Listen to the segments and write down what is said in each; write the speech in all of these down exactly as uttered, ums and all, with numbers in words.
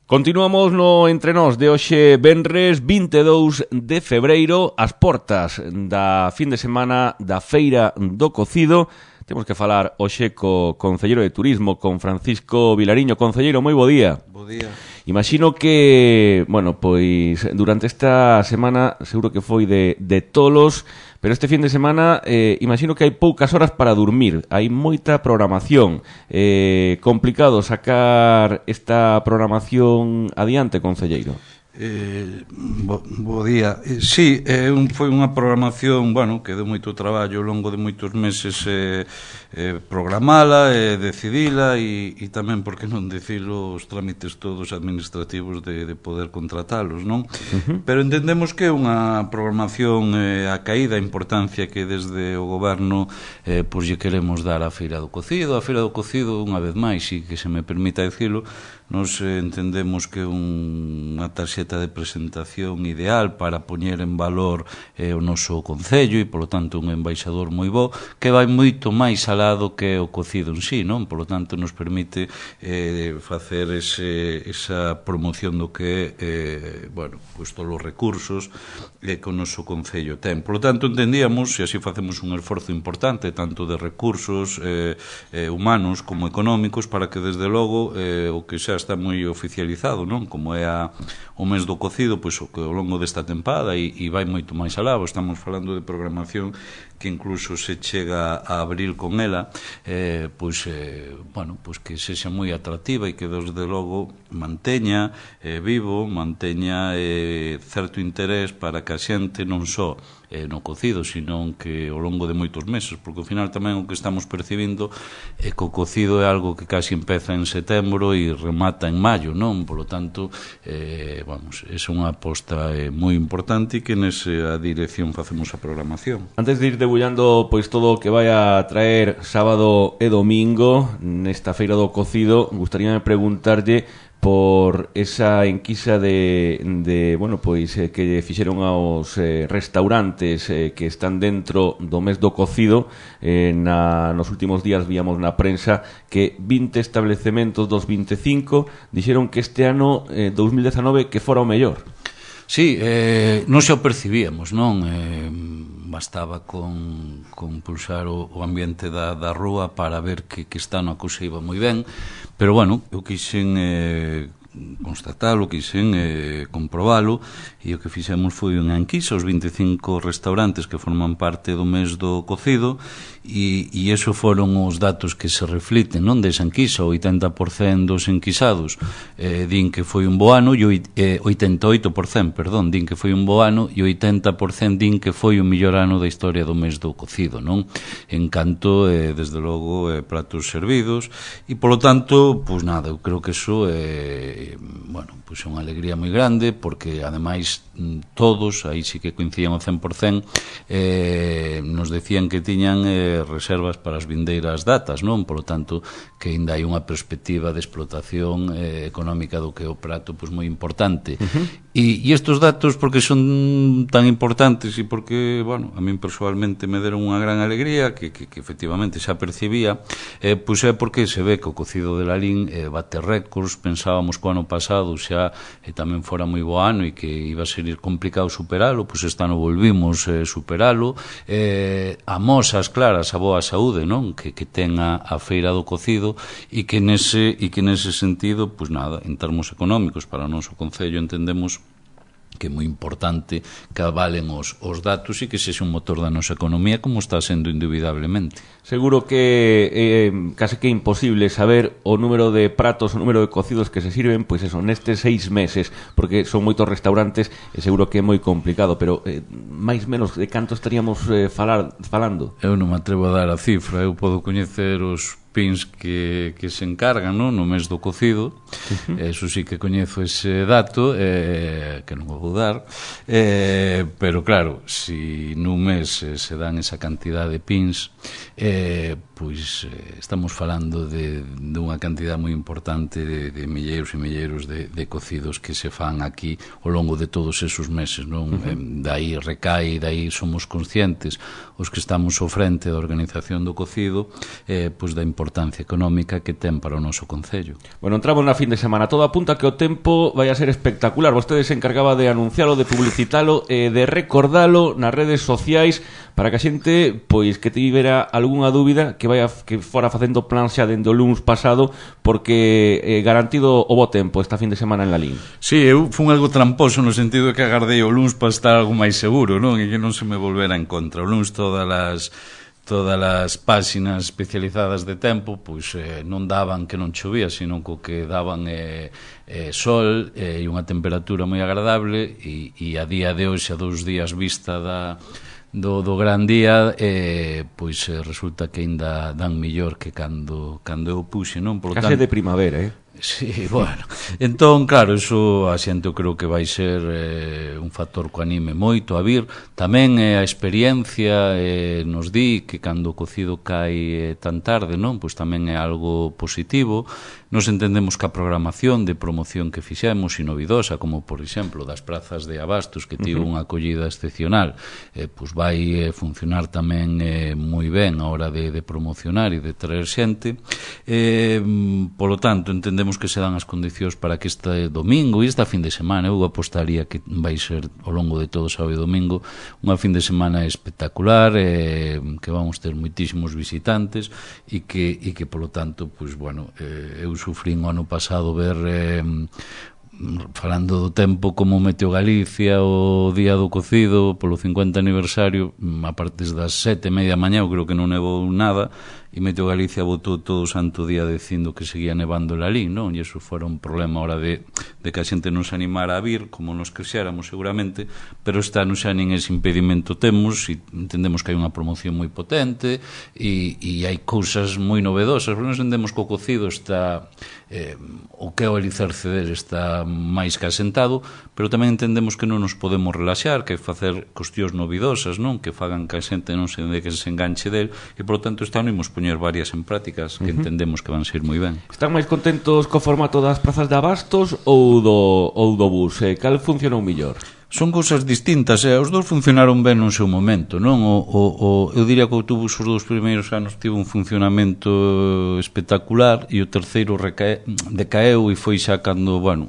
Continuamos no Entre Nós de hoxe venres vinte e dous de febreiro, as portas da fin de semana da Feira do Cocido. Temos que falar hoxe co concelleiro de Turismo, con Francisco Vilariño. Concelleiro, moi bo día. Bo día. Imagino que, bueno, pois durante esta semana seguro que foi de, de tolos, pero este fin de semana eh, imagino que hai poucas horas para dormir, hai moita programación. Eh, complicado sacar esta programación adiante, concelleiro? Eh, bo, bo día. Eh, sí, eh, un, foi unha programación, bueno, que deu moito traballo ao longo de moitos meses eh, eh, programala, eh, decidila e, e tamén, por que non dicilo, os trámites todos administrativos de, de poder contratalos, non? Uh-huh. Pero entendemos que é unha programación eh, a caída, a importancia que desde o goberno eh, pois lle queremos dar á Feira do Cocido. A Feira do Cocido, unha vez máis, e que se me permita dicilo, nos eh, entendemos que un, unha tarxeta de presentación ideal para poñer en valor eh, o noso concello e, polo tanto, un embaixador moi bo que vai moito máis alado que o cocido en sí, non? Polo tanto, nos permite eh, facer ese, esa promoción do que eh, bueno, pues todos os recursos eh, que o noso concello ten. Polo tanto, entendíamos, e así facemos un esforzo importante, tanto de recursos eh, eh, humanos como económicos, para que, desde logo, eh, o que xa está moi oficializado, non? Como é a, o mes do cocido, pois o que ao longo desta tempada e, e vai moito máis alá. Estamos falando de programación que incluso se chega a abril con ela, eh, pois, eh, bueno, pois que sexa moi atractiva e que, desde logo, manteña eh, vivo, manteña eh, certo interés para que a xente non só eh, no cocido, sino que ao longo de moitos meses, porque ao final tamén o que estamos percibindo é que o cocido é algo que casi empeza en setembro e remata en maio, non? Por lo tanto, eh, vamos, é unha aposta eh, moi importante e que nesa dirección facemos a programación. Antes de ir debullando pois todo o que vai a traer sábado e domingo nesta Feira do Cocido, gustaríame preguntarlle por esa enquisa de, de bueno, pois eh, que fixeron aos eh, restaurantes eh, que están dentro do mes do cocido. Eh, na, nos últimos días víamos na prensa que vinte establecementos dos vinte e cinco dixeron que este ano eh, dos mil dezanove que fora o mellor. Sí, eh, non xa o percibíamos, non? Eh, bastaba con, con pulsar o, o ambiente da, da rúa para ver que, que esta ano a cousa iba moi ben, pero, bueno, eu quixen eh, constatalo, quixen eh, comprobalo, e o que fixemos foi unha enquisa aos vinte e cinco restaurantes que forman parte do mes do cocido, e, e eso foron os datos que se refliten, non, desa enquisa. O oitenta por cento dos enquisados eh, din que foi un bo ano, e eh, oitenta e oito por cento, perdón, din que foi un bo ano, e oitenta por cento din que foi o mellor ano da historia do mes do cocido, non? En canto, eh, desde logo, eh, pratos servidos, e, polo tanto, pois nada, eu creo que eso eh, bueno, pois é unha alegría moi grande, porque, ademais, todos, aí sí que coincidían ao cen por cento, eh, nos decían que tiñan eh, reservas para as vindeiras datas, non? Por lo tanto, que ainda hai unha perspectiva de explotación eh, económica do que é o prato, pois moi importante. Uh-huh. E, e estes datos, porque son tan importantes e porque, bueno, a min personalmente me deron unha gran alegría, que, que, que efectivamente xa percibía, eh, pois é porque se ve que o cocido de Lalín eh, bate récords. Pensábamos que o ano pasado xa eh, tamén fora moi bo ano e que iba a ser complicado superalo, pois este ano volvimos eh, superalo. Eh, amosas claras a boa saúde, non? Que, que ten a, a Feira do Cocido, e que nese, e que nese sentido, pois nada, en termos económicos para o noso concello entendemos que é moi importante que avalen os, os datos e que sexa un motor da nosa economía, como está sendo indubidablemente. Seguro que eh, case que é imposible saber o número de pratos, o número de cocidos que se sirven, pois eso, nestes seis meses, porque son moitos restaurantes e seguro que é moi complicado, pero eh, máis menos de canto estaríamos eh, falar, falando? Eu non me atrevo a dar a cifra, eu podo coñecer os pins que, que se encargan, non? No mes do cocido. Uh-huh. Eso sí que coñezo ese dato, eh, que non vou dar, eh, pero claro, si nun mes eh, se dan esa cantidad de pins, eh, pois eh, estamos falando de, de unha cantidad moi importante de, de milleiros e milleiros de, de cocidos que se fan aquí ao longo de todos esos meses, non? Uh-huh. Eh, dai recai, dai somos conscientes os que estamos ao frente da organización do cocido, eh, pois da importancia económica que ten para o noso concello. Bueno, entramos na fin de semana, todo apunta que o tempo vai a ser espectacular. Vostede se encargaba de anuncialo, de publicitalo, eh, de recordalo nas redes sociais para que a xente, pois, que tivera algunha dúbida que vai a, que fora facendo plan xa dende o luns pasado, porque eh, garantido o bo tempo esta fin de semana en Lalín. Sí, eu fun algo tramposo no sentido de que agardei o luns para estar algo máis seguro, non? E que non se me volvera en contra. O luns todas as todas as páxinas especializadas de tempo pois eh, non daban que non chovía, sino co que daban eh, eh, sol e eh, unha temperatura moi agradable, e, e a día de hoxe, a dous días vista da do, do gran día, eh, pois eh, resulta que ainda dan millor que cando, cando eu puxe, non? Por Case tanto, de primavera, eh? Sí, bueno, entón, claro, iso a xente eu creo que vai ser eh, un factor que anime moito a vir. Tamén eh, a experiencia eh, nos di que cando o cocido cae eh, tan tarde, non? Pois tamén é algo positivo. Nos entendemos que a programación de promoción que fixemos e novidosa, como por exemplo das prazas de abastos, que tivo unha acollida excepcional, eh, pois vai eh, funcionar tamén eh, moi ben a hora de, de promocionar e de traer xente. Eh, polo tanto, entendemos que se dan as condicións para que este domingo e esta fin de semana, eu apostaría que vai ser ao longo de todo sábado e domingo unha fin de semana espectacular, eh, que vamos ter moitísimos visitantes e que, e que polo tanto, pois, bueno, eh, eu sufrín o ano pasado ver eh, falando do tempo como meteo Galicia o día do cocido polo cincuenta aniversario, a partir das sete e media mañá, eu creo que non nevou nada, e Meteo Galicia botou todo o santo día dicindo que seguía nevando en Lalín, non? E iso fora un problema a hora de, de que a xente non se animara a vir, como nos quixéramos seguramente, pero este ano xa nin ese impedimento temos, e entendemos que hai unha promoción moi potente, e, e hai cousas moi novedosas, porque nos entendemos que o cocido está, eh, o que é o alicerce dele está máis que asentado, pero tamén entendemos que non nos podemos relaxar, que hai facer cuestións novidosas, non? Que fagan que a xente non se de que se enganche del, e por tanto este ano imos poñer varias en prácticas que uh-huh. entendemos que van ser moi ben. Están máis contentos co formato das prazas de abastos ou do, ou do bus? Eh, cal funcionou mellor? Son cousas distintas, eh? Os dous funcionaron ben no seu momento, non? O, o, o, eu diría que o autobús os dous primeiros anos tivo un funcionamento espectacular, e o terceiro recae, decaeu, e foi xa cando, bueno,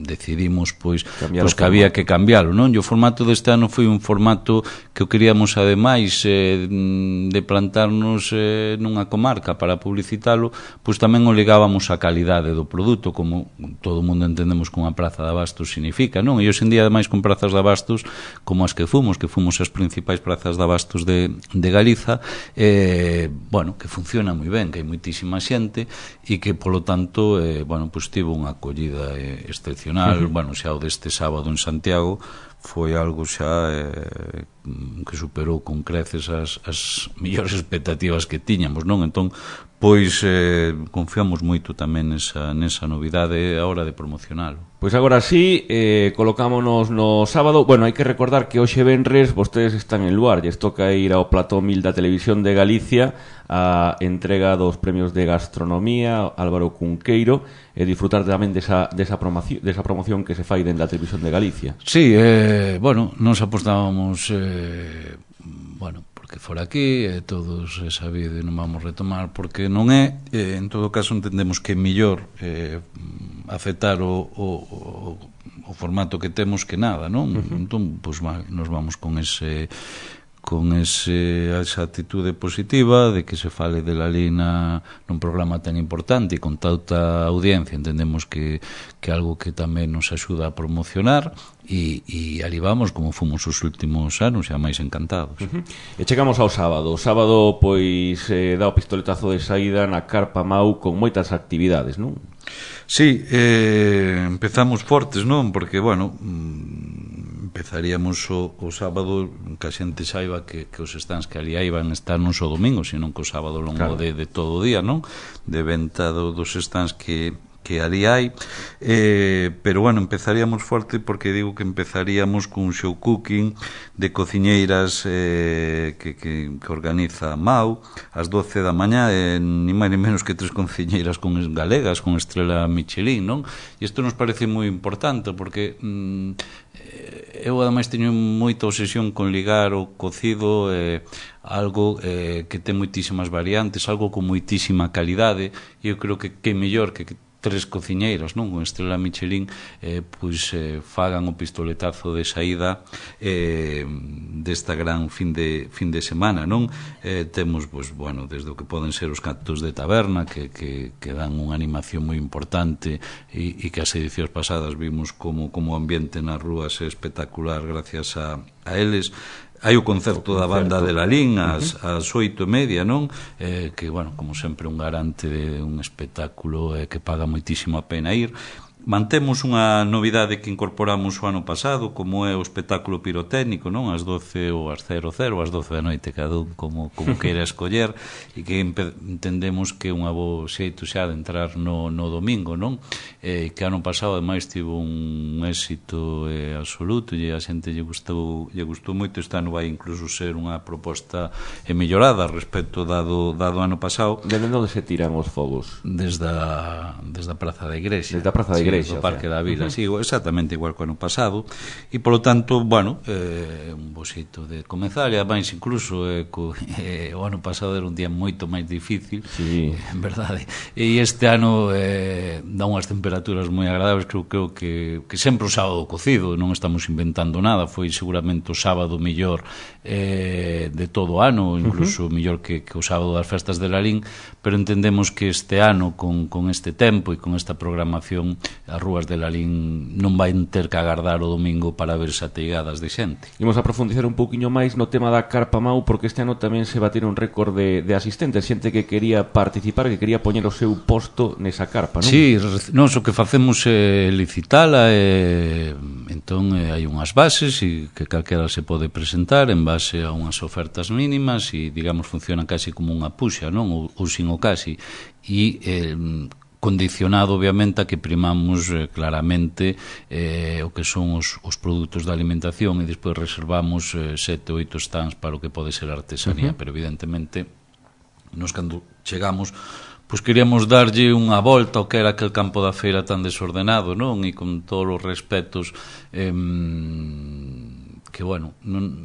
decidimos pois, pois que había que cambiálo, non? E o formato deste ano foi un formato que o queríamos ademais eh, de plantarnos eh, nunha comarca para publicitalo, pois tamén o ligábamos á calidade do produto, como todo o mundo entendemos que unha praza de abastos significa, non? E hoxe en día ademais con prazas de abastos como as que fomos, que fomos as principais prazas de abastos de, de Galiza, eh, bueno, que funciona moi ben, que hai moitísima xente e que polo tanto eh, bueno, pois tivo unha acollida eh, excepcional. Uh-huh. Bueno, xa o deste sábado en Santiago foi algo xa eh, que superou con creces as, as millores expectativas que tiñamos, non? Entón, pois eh, confiamos moito tamén nesa, nesa novidade a hora de promocionalo. Pois agora sí, eh, colocámonos no sábado. Bueno, hai que recordar que hoxe venres vostedes están en Luar, lles toca ir ao Plató Mil da Televisión de Galicia a entrega dos premios de gastronomía Álvaro Cunqueiro e disfrutar tamén desa, desa, promoción, desa promoción que se fai dentro da Televisión de Galicia. Sí, eh, bueno, nos apostábamos eh, bueno, porque fora aquí eh, todos é sabido e non vamos retomar porque non é, eh, en todo caso entendemos que é mellor eh, aceptar o, o, o, o formato que temos que nada, non? Uh-huh. Entón, pois, pues, nos vamos con ese con ese, esa actitude positiva de que se fale de Lalín nun programa tan importante e con tanta audiencia. Entendemos que que algo que tamén nos axuda a promocionar e, e ali vamos como fomos os últimos anos, xa máis encantados. Uh-huh. E chegamos ao sábado. O sábado, pois, eh, dá o pistoletazo de saída na Carpa Mau con moitas actividades, non? Sí, eh, empezamos fortes, non? Porque, bueno, empezaríamos o, o sábado que a xente saiba que, que os stands que ali hai van estar non só domingo, senón que o sábado longo claro. de, de todo o día, non? De venta do, dos stands que, que ali hai. eh, pero bueno, empezaríamos forte porque digo que empezaríamos cun show cooking de cociñeiras eh, que, que, que organiza Mau ás doce da mañá, eh, ni máis ni menos que tres cociñeiras con galegas con estrela Michelin, non? E isto nos parece moi importante porque mm, eu ademais teño moita obsesión con ligar o cocido eh, algo eh, que ten moitísimas variantes, algo con moitísima calidade, e eu creo que que mellor que, que tres cociñeiros, non, con estrela Michelin eh, pois eh, fagan o pistoletazo de saída eh, desta gran fin de fin de semana, non? Eh, temos, pois, bueno, desde o que poden ser os cantos de taberna que, que, que dan unha animación moi importante e, e que as edicións pasadas vimos como, como o ambiente nas rúas é espectacular gracias a, a eles. Hai o concerto da banda de Lalín ás, ás oito e media, non? Eh, que, bueno, como sempre, un garante de un espectáculo eh, que paga moitísimo a pena ir. Mantemos unha novidade que incorporamos o ano pasado, como é o espectáculo pirotécnico, non? Ás doce ou ás cero cero, ás doce da noite, cada un como, como queira escoller, e que entendemos que é unha bo xeito xa de entrar no, no domingo, non? Eh, que ano pasado, ademais, tivo un éxito eh, absoluto, e a xente lle gustou, lle gustou moito. Este ano vai incluso ser unha proposta eh, mellorada respecto dado, dado ano pasado. Desde onde se tiran os fogos? Desde a, desde a Praza da Igrexa. Desde a Praza da Igrexa. Sí, do Parque da Vila, uh -huh. Sí, exactamente igual que o ano pasado, e polo tanto, bueno, eh, un bo xeito de comezar, e ademais incluso eh, co, eh, o ano pasado era un día moito máis difícil, sí. eh, en verdade, e este ano eh, dá unhas temperaturas moi agradables. Creo, creo que, que sempre o sábado cocido, non estamos inventando nada, foi seguramente o sábado mellor eh, de todo o ano, incluso uh -huh. mellor que, que o sábado das festas de Lalín, pero entendemos que este ano, con, con este tempo e con esta programación, as rúas de Lalín non vai ter que agardar o domingo para verse ateigadas de xente. Imos a profundizar un pouquiño máis no tema da Carpa Mau, porque este ano tamén se bateron un récord de, de asistentes, xente que quería participar, que quería poñer o seu posto nesa carpa, non? Sí, nós o que facemos é licitala, e entón eh, hai unhas bases e que calquera se pode presentar en base a unhas ofertas mínimas e, digamos, funciona casi como unha puxa, non? Ou, ou sin o casi, e eh, condicionado obviamente a que primamos eh, claramente eh, o que son os, os produtos de alimentación, e despois reservamos eh, sete ou oito stands para o que pode ser artesanía. Uh -huh. Pero evidentemente nos cando chegamos pois queríamos darlle unha volta ao que era aquel campo da feira tan desordenado, non? E con todos os respetos eh, que, bueno, non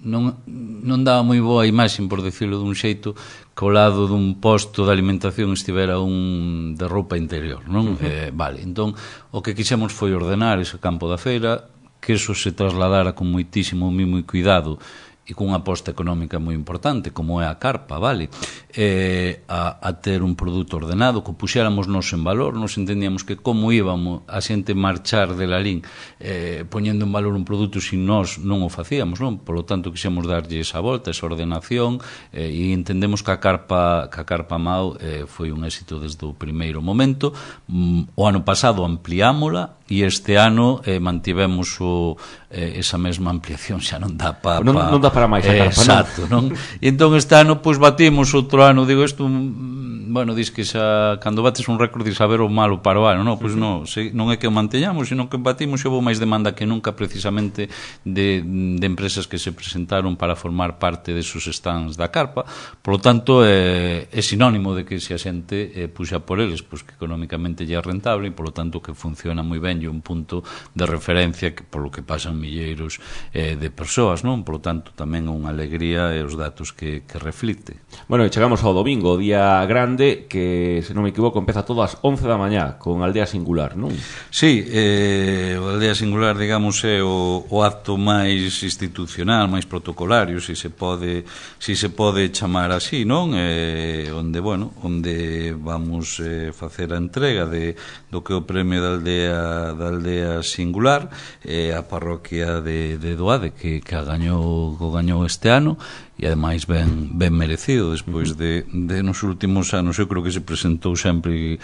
non, non daba moi boa imaxe, por decirlo dun xeito, que ao lado dun posto de alimentación estivera un de roupa interior, non? Uh -huh. eh, vale, entón o que quixemos foi ordenar ese campo da feira, que eso se trasladara con moitísimo mimo e cuidado e cunha aposta económica moi importante, como é a carpa, vale? Eh, a, a ter un produto ordenado, que puxéramos nos en valor. Nos entendíamos que como íbamos a xente marchar de Lalín eh, poñendo en valor un produto se nós non o facíamos, non? Por lo tanto, quixemos darlle esa volta, esa ordenación, eh, e entendemos que a carpa, que a carpa Mau eh, foi un éxito desde o primeiro momento. Mm, o ano pasado ampliámola, e este ano eh, mantivemos o, eh, esa mesma ampliación, xa non dá pa, pa, non, non dá para máis a carpa, exacto, non? non? E entón este ano pois batimos outro ano, digo isto, bueno, dis que xa cando bates un récord dis saber o malo para o ano, non? Pois non, se, non é que o manteñamos, sino que batimos, e houve máis demanda que nunca precisamente de, de empresas que se presentaron para formar parte desos stands da carpa. Por lo tanto, é, é sinónimo de que se a xente eh, puxa por eles, pois que económicamente lle é rentable, e por lo tanto que funciona moi ben, e un punto de referencia que, por lo que pasan milleiros eh, de persoas, non? Por lo tanto, tamén unha alegría e os datos que, que reflite. Bueno, e chegamos ao domingo, o día grande, que, se non me equivoco, empeza todo ás once da mañá, con Aldea Singular, non? Sí, eh, o Aldea Singular, digamos, é o, o acto máis institucional, máis protocolario, se se pode, se se pode chamar así, non? Eh, onde, bueno, onde vamos eh, facer a entrega de, do que é o premio da Aldea, da Aldea Singular, eh, a parroquia de, de Doade, que, que a gañou, que gañou este ano, e ademais ben, ben merecido despois de, de nos últimos anos. Eu creo que se presentou sempre,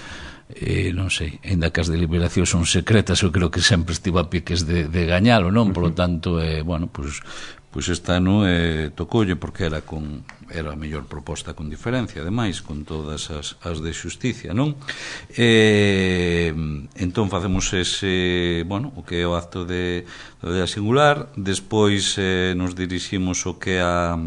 eh, non sei, ainda que as deliberacións son secretas, eu creo que sempre estivo a piques de, de gañalo, non? Por lo tanto, eh, bueno, pues, pois este ano eh, tocoulle porque era con era a mellor proposta con diferencia, ademais, con todas as, as de xusticia, non? Eh, entón facemos ese, bueno, o que é o acto de, de singular, despois eh, nos diriximos o que é a,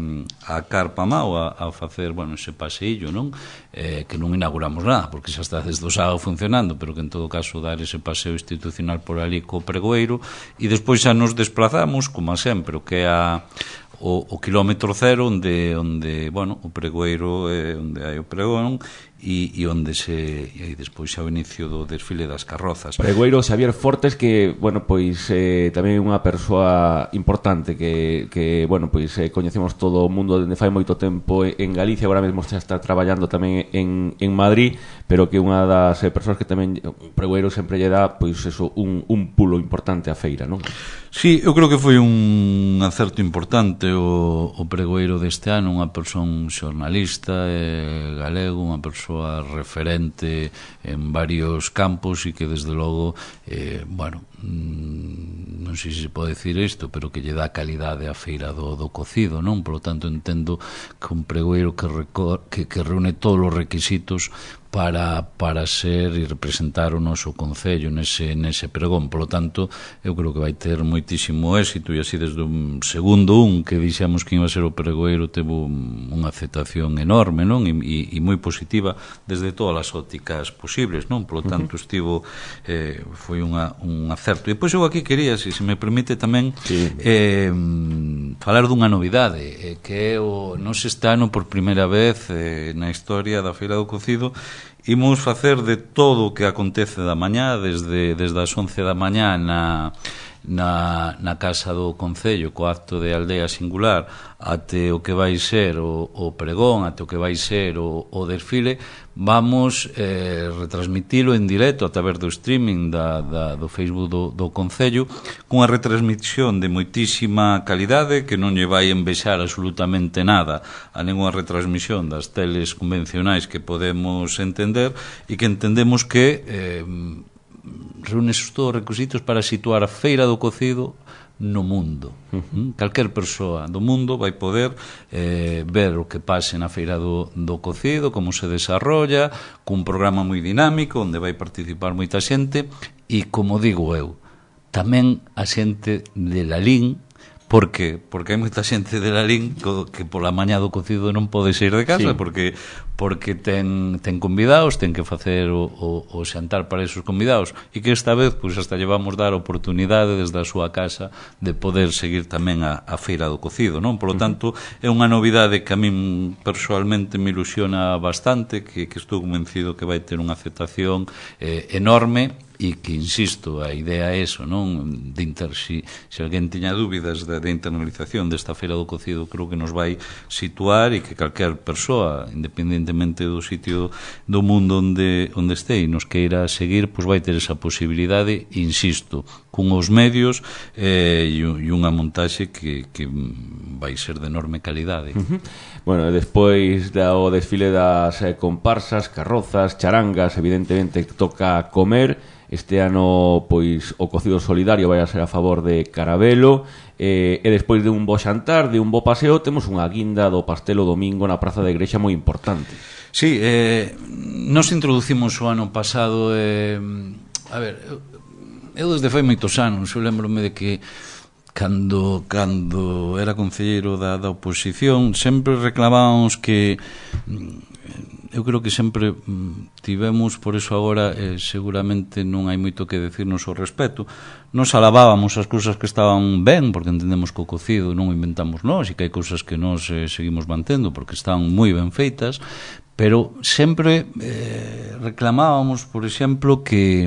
a Carpa Mao a, a facer, bueno, ese paseillo, non? Eh, que non inauguramos nada, porque xa está desde o sábado funcionando, pero que en todo caso dar ese paseo institucional por ali co pregoeiro, e despois xa nos desplazamos, como sempre, o que é a O, o kilómetro cero onde, onde bueno, o pregoeiro é onde hai o pregón e, e onde se e aí despois xa o inicio do desfile das carrozas. Pregoeiro Xavier Fortes, que, bueno, pois eh, tamén é unha persoa importante que, que bueno, pois eh, coñecemos todo o mundo dende fai moito tempo en Galicia, agora mesmo xa está traballando tamén en, en Madrid, pero que unha das eh, persoas que tamén o pregoeiro sempre lle dá, pois eso, un, un pulo importante á feira, non? Sí, eu creo que foi un acerto importante o, o pregoeiro deste ano, unha persoa, un xornalista eh, galego, unha persoa referente en varios campos e que desde logo, eh, bueno, mm, non sei se pode decir isto, pero que lle dá calidade á feira do, do cocido, non? Por lo tanto, entendo que un pregoeiro que, recor, que, que reúne todos os requisitos para, para ser e representar o noso concello nese, nese pregón. Por lo tanto, eu creo que vai ter moitísimo éxito, e así desde un segundo un que dixemos que iba a ser o pregoeiro teve unha aceptación enorme, non? E, e, e moi positiva desde todas as ópticas posibles, non? Por lo tanto, estivo eh, foi unha, un acerto. E depois eu aquí quería, se, se me permite tamén, sí. eh, falar dunha novidade, eh, que é o nos este ano por primeira vez eh, na historia da Feira do Cocido. Imos facer de todo o que acontece da mañá, desde, desde as once da mañá na, na, na Casa do Concello, co acto de Aldea Singular, até o que vai ser o, o pregón, até o que vai ser o, o desfile, vamos eh, retransmitilo en directo a través do streaming da, da, do Facebook do, do Concello, cunha retransmisión de moitísima calidade que non lle vai envexar absolutamente nada a ninguna retransmisión das teles convencionais que podemos entender, e que entendemos que eh, reúne todos os requisitos para situar a Feira do Cocido no mundo. Uh-huh. Calquer persoa do mundo vai poder eh, ver o que pase na Feira do, do Cocido, como se desarrolla, cun programa moi dinámico onde vai participar moita xente, e, como digo eu, tamén a xente de Lalín. Por que? Porque hai moita xente de Lalín que pola mañá do cocido non pode sair de casa, sí. porque porque ten, ten convidados, ten que facer o, o, o xantar para esos convidados, e que esta vez pues, hasta llevamos dar a oportunidade desde a súa casa de poder seguir tamén a, a Feira do Cocido, non? Por lo tanto, é unha novidade que a min personalmente me ilusiona bastante, que, que estou convencido que vai ter unha aceptación eh, enorme, e que, insisto, a idea é eso, non? De inter, si, si alguén tiña dúbidas de, de internalización desta Feira do Cocido, creo que nos vai situar, e que calquer persoa, independentemente do sitio do mundo onde, onde este e nos queira seguir, pois vai ter esa posibilidade, insisto, con os medios eh, e, e unha montaxe que, que vai ser de enorme calidade. Uh-huh. Bueno, despois do desfile das eh, comparsas, carrozas, charangas, evidentemente toca comer. Este ano, pois, o cocido solidario vai a ser a favor de Carabelo, eh, e despois de un bo xantar, de un bo paseo, temos unha guinda do pastelo domingo na Praza da Igrexa moi importante. Sí, eh, nos introducimos o ano pasado, eh, a ver, eu, eu desde fai moitos anos, eu lembrome de que cando cando era concelleiro da, da oposición sempre reclamábamos que eu creo que sempre tivemos, por eso agora eh, seguramente non hai moito que decirnos ao respecto. Nos alabábamos as cousas que estaban ben, porque entendemos que o cocido non o inventamos nós, e que hai cousas que nós eh, seguimos mantendo porque están moi ben feitas, pero sempre eh, reclamábamos, por exemplo, que,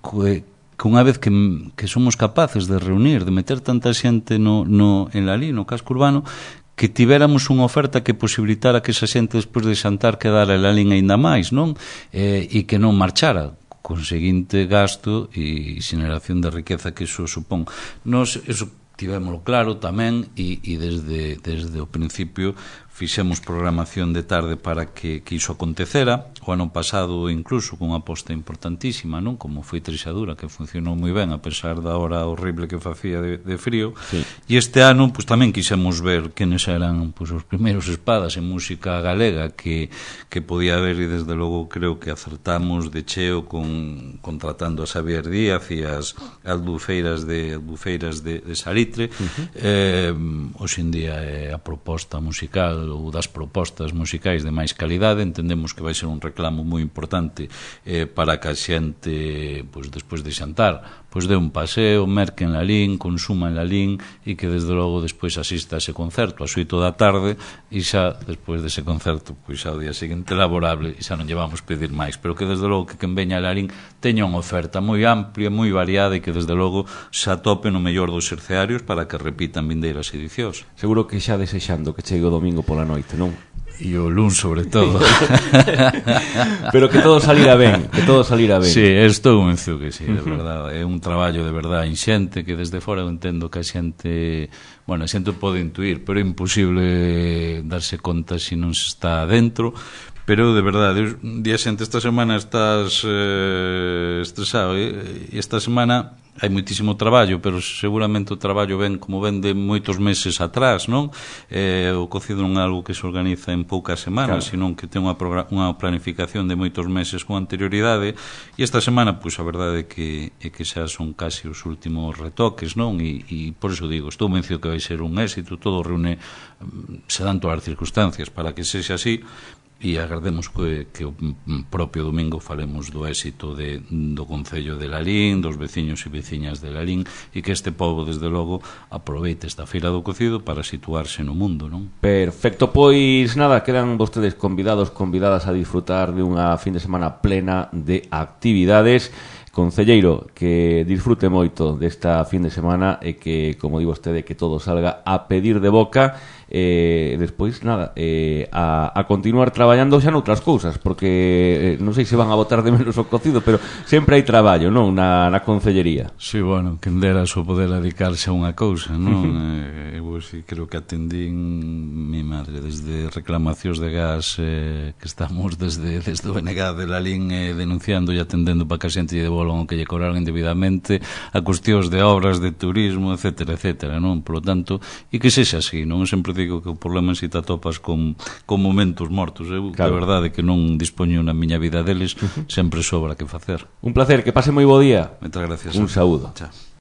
que que unha vez que, que somos capaces de reunir, de meter tanta xente no, no, en Lalín, no casco urbano, que tivéramos unha oferta que posibilitara que esa xente despois de xantar quedara en Lalín aínda máis, non? Eh, e que non marchara, con seguinte gasto e xeneración de riqueza que iso supón. Nos, eso tivémoslo claro tamén, e, e desde, desde o principio fixemos programación de tarde para que, que iso acontecera. O ano pasado incluso con unha aposta importantísima, non? Como foi Trixadura, que funcionou moi ben a pesar da hora horrible que facía de, de frío. Sí. E este ano pues, tamén quixemos ver quenes eran pues, os primeiros espadas en música galega que, que podía haber, e desde logo creo que acertamos de cheo con, contratando a Xavier Díaz e as albufeiras de, albufeiras de, de Salitre. Uh-huh. eh, hoxe en día é a proposta musical ou das propostas musicais de máis calidade. Entendemos que vai ser un reclamo moi importante eh, para que a xente, pois, despois de xantar, pois dé un paseo, merque en Lalín, consuma en Lalín e que desde logo despois asista a ese concerto ás oito da tarde e xa despois dese concerto, pois xa o día seguinte laborable e xa non llevamos pedir máis, pero que desde logo que quen veña a Lalín teña unha oferta moi amplia, moi variada e que desde logo xa tope no mellor dos terciarios para que repitan vindeiras edicións. Seguro que xa desexando que chegue o domingo pola noite, non? E o luns sobre todo. Pero que todo salira ben, que todo salira ben. Sí, estou convencido que sí, de verdade. É un traballo de verdade inxente que desde fora eu entendo que a xente, bueno, a xente pode intuir, pero é imposible darse conta se non se está dentro. Pero de verdade, un día xente, esta semana estás eh, estresado, e esta semana hai moitísimo traballo, pero seguramente o traballo ven como ven de moitos meses atrás, non? Eh, o cocido non é algo que se organiza en poucas semanas, claro, senón que ten unha, unha planificación de moitos meses con anterioridade, e esta semana, pois, a verdade é que, é que xa son casi os últimos retoques, non? E, e por iso digo, estou convencido que vai ser un éxito, todo reúne, se dan todas as circunstancias para que sexa así, e agardemos que, que o propio domingo falemos do éxito de, do Concello de Lalín, dos veciños e veciñas de Lalín, e que este pobo, desde logo, aproveite esta feira do cocido para situarse no mundo, non? Perfecto, pois nada, quedan vostedes convidados, convidadas a disfrutar de unha fin de semana plena de actividades. Concelleiro, que disfrute moito desta fin de semana e que, como digo vostede, que todo salga a pedir de boca. Eh, despois, nada, eh, a, a continuar traballando xa noutras cousas, porque eh, non sei se van a botar de menos o cocido, pero sempre hai traballo, non, na, na concellería. Sí, bueno, quen dera só poder dedicarse a unha cousa, non? eh, eu sí, creo que atendín mi madre desde reclamacións de gas, eh, que estamos desde, desde o N G de Lalín eh, denunciando e atendendo para que a xente lle devolvan o que lle cobraron indebidamente, a cuestións de obras, de turismo, etcétera, etcétera, non? Por lo tanto, e que sexa así, non? Sempre digo que o problema si te atopas con, con momentos mortos. Eu, claro, de verdade, que non dispoño na miña vida deles, uh-huh, sempre sobra que facer. Un placer, que pase moi bo día. Moitas gracias. Un saúdo. Chao.